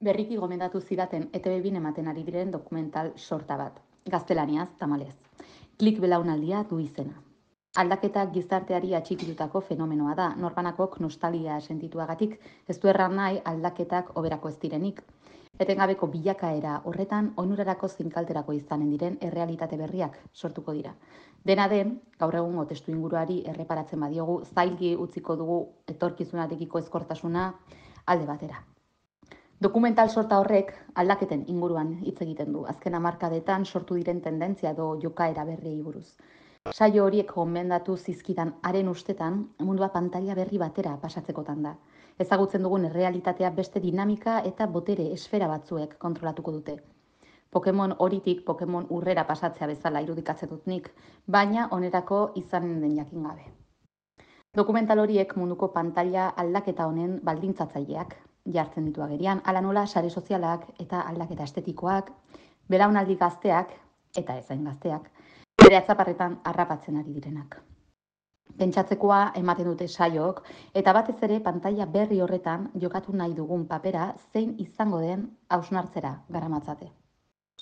Berriki gomendatu zidaten ETV2 ematen ari diren dokumental sorta bat. Gaztelaniaz, tamalez. Klik belaunaldia du izena. Aldaketak gizarteari atxikitutako fenomenoa da, norbanakok nostalgia sentituagatik, ez du erran nahi aldaketak oberako ez direnik. Etengabeko bilakaera horretan, onurarako zinkalterako izanen diren errealitate berriak sortuko dira. Dena den, gaur egungo testu inguruari erreparatzen badiogu, zailgi utziko dugu etorkizunarekiko ezkortasuna alde batera. Dokumental sorta horrek aldaketen inguruan hitz egiten du, azken hamarkadetan sortu diren tendentzia edo jokaera berriei buruz. Saio horiek gomendatu zizkidan haren ustetan, mundua pantaila berri batera pasatzekotan da. Ezagutzen dugun errealitatea beste dinamika eta botere esfera batzuek kontrolatuko dute. Pokemon horitik Pokemon urrera pasatzea bezala irudikatzen dut nik, baina onerako izanen den jakin gabe. Dokumental horiek munduko pantaila aldaketa honen baldintzatzaileak jartzen ditu agerian, hala nola sare sozialak eta aldaketa estetikoak, belaunaldi gazteak eta ezain gazteak, bere atzaparretan harrapatzen ari direnak. Pentsatzekoa ematen dute saiok, eta batez ere pantaila berri horretan jokatu nahi dugun papera zein izango den hausnartzera garamatzate.